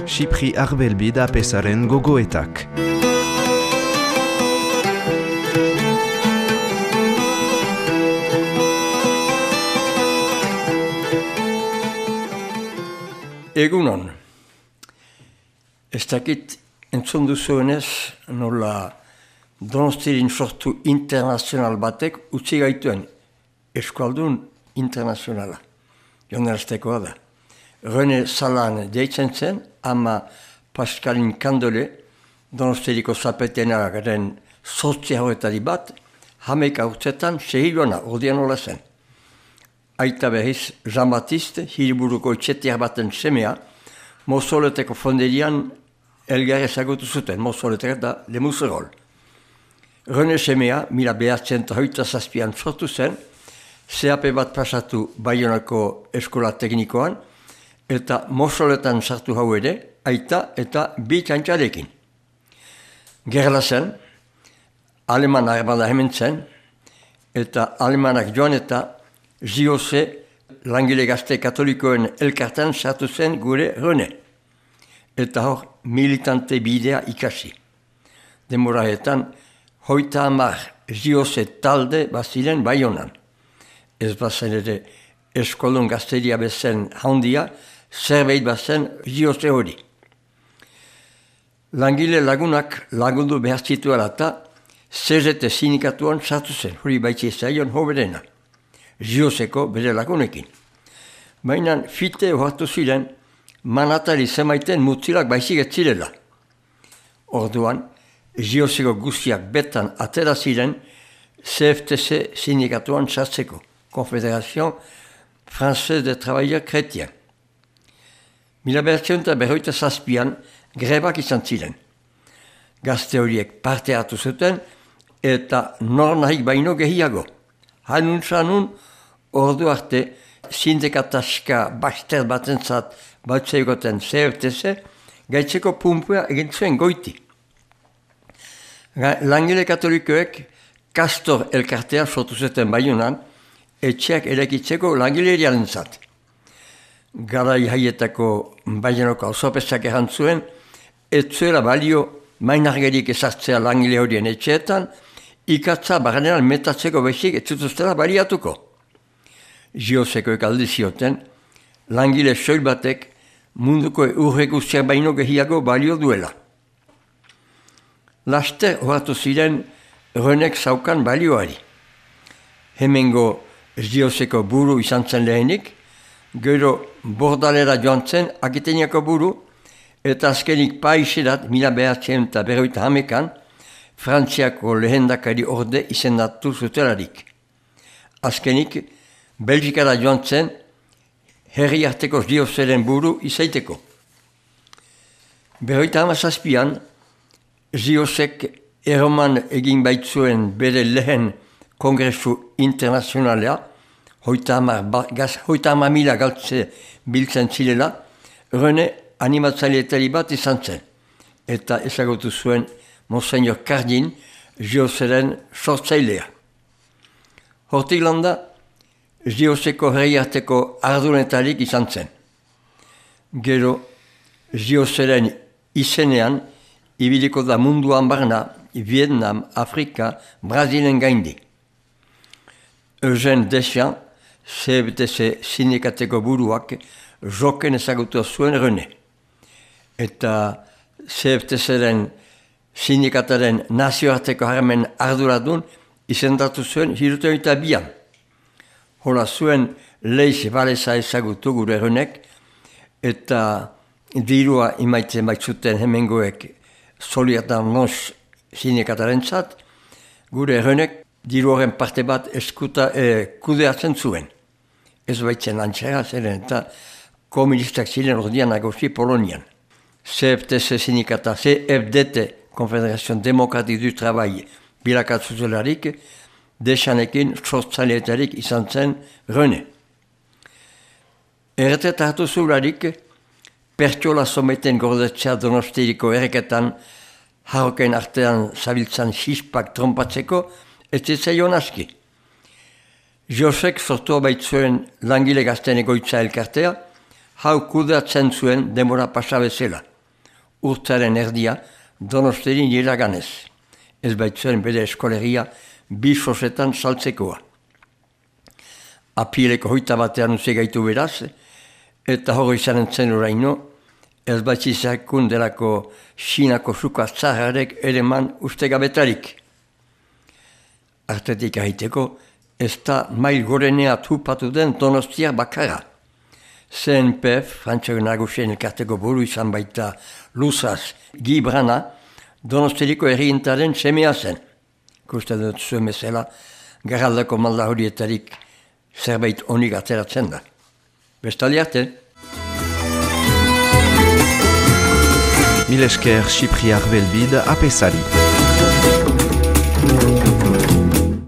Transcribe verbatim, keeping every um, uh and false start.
Xipri Arbelbi da pesaren gogoetak. Egunon, ez dakit entzun duzuenez nola Donostirin sortu internazional batek utzi gaituen eskualdun internazionala. Joneraztekoa da. René Salan deitzen zen, ama Pascalin Kandole, Donostiriko zapetenagaren sortzia horretari bat, hameik aurtzetan sehiluana ordean hola zen. Aita behiz Jean-Baptiste, hiriburuko itxetiar baten semea, Mozoleteko fonderian elgar ezagutu zuten, Mozoletek da Lemuzerol. René semea, mila behatzen eta hoita zazpian sortu zen, C A P bat pasatu Baionako eskola teknikoan, eta Mozoletan sartu hau ere, aita eta bi txantxarekin. Gerla zen, aleman armada hemen zen, eta alemanak joan eta J O C langile gazte katolikoen elkartan sartu zen gure René. Eta hor militante bidea ikasi. Demoraetan, hoita hamar J O C talde baziren Baionan. Ez bazen ere eskolun gazteria bezen handia, zerbait bazen J O C hori. Langile lagunak lagundu behar zituela eta C Z T sindikatuan sartu zen, hori baitzi zaion hoberena. J O C-ko bere lagunekin. Baina fite ohartu ziren, manatari zemaiten mutilak baizik ez zirela. Orduan, J O C-ko guztiak betan atera ziren C F T C sindikatuan sartzeko, Confédération Française des Travailleurs Chrétiens. Mila behatzen eta berroita zazpian grebak izan ziren. Gazte horiek parte hartu zuten eta nor nahik baino gehiago. Hanun zanun, ordu arte, sindikataska baster batentzat batzeigoten C F T C, gaitzeko pumpua egin zuen goiti. Langile katolikoek Kastor elkartea sortu zuten Baionan, etxeak erakitzeko langileriaren zat. Garai haietako Baionako auzopesak errantzuen, ez zuela balio mainargerik ezartzea langile horien etxeetan, ikatza barrenean metatzeko bezik ez zutuztela baliatuko. J O C-koek aldi zioten, langile soil batek munduko urre guztiak baino gehiago balio duela. Laster horatu ziren Renek zaukan balioari. Hemengo J O C-ko buru izan zen lehenik, gero bordalera joan zen Akiteniako buru, eta azkenik paiserat mila behatzen eta berroita hamekan, Frantziako lehendakari orde izendatu zutelarik. Azkenik, Belgikara joan zen, herri arteko J O C-ren buru izaiteko. Berroita hamazazpian, J O C-k erroman egin baitzuen bere lehen kongresu internazionalea, hoita hamar mila galtze biltzen zilela, René animatzaileetari bat izan zen, eta ezagutu zuen Monseñor Cardin, J O C-ren sortzailea. Hortik landa, J O C-ko herri arteko ardunetarik izan zen. Gero, J O C-ren izenean, ibiliko da munduan barna, Vietnam, Afrika, Brazilen gaindi. Eugène Deschamps, C F T C sindikateko buruak, joken ezagutu zuen René. Eta C F T C-ren sindikataren nazioarteko harmen arduradun izendatu zuen hirurogeita eta bian. Hola zuen Leiz Valesa ezagutu gure Renek, eta dirua imaitzen baitzuten hemengoek Solidarność sindikataren zat, gure Renek diru horren parte bat eskuta eh, kudeatzen zuen. Ez baitzen lantxera zeren eta komunistak ziren ordian nagozi Polonian. C F T C sindikata, C F D T, Confédération Démocratique du Travail, bilakatzuzelarik, Deschampesekin sortzaileetarik izan zen René. Erretet hartu zularik, pertsola someten gordetzea Donostiriko erreketan harroken artean zabiltzan xispak trompatzeko, ez zitzaion aski. Josek sortua baitzuen langile gazten egoitza elkartea, hau kudeatzen zuen demora pasabezela. Urtaren erdia Donostiaren iraganez. Ez baitzuen bere eskolegia bi sosetan saltzekoa. Apileko hoita batean utzi gaitu beraz, eta hori izan zen oraino, ez baitzizakun delako Xinako suka zaharrek ere man ustegabetarik. Artetik ahiteko, ez da mail gorenea tupatu den Donostia bakarra. C N P F, Frantziako Nagusien elkarteko buru izan baita Luzaz Gibrana, Donostiriko errientaren semea zen. Kusten dut zuen bezala, garraldako malda horietarik zerbait onik ateratzen da. Bestaldi arte. Mil esker Xipriar Belbid apesari.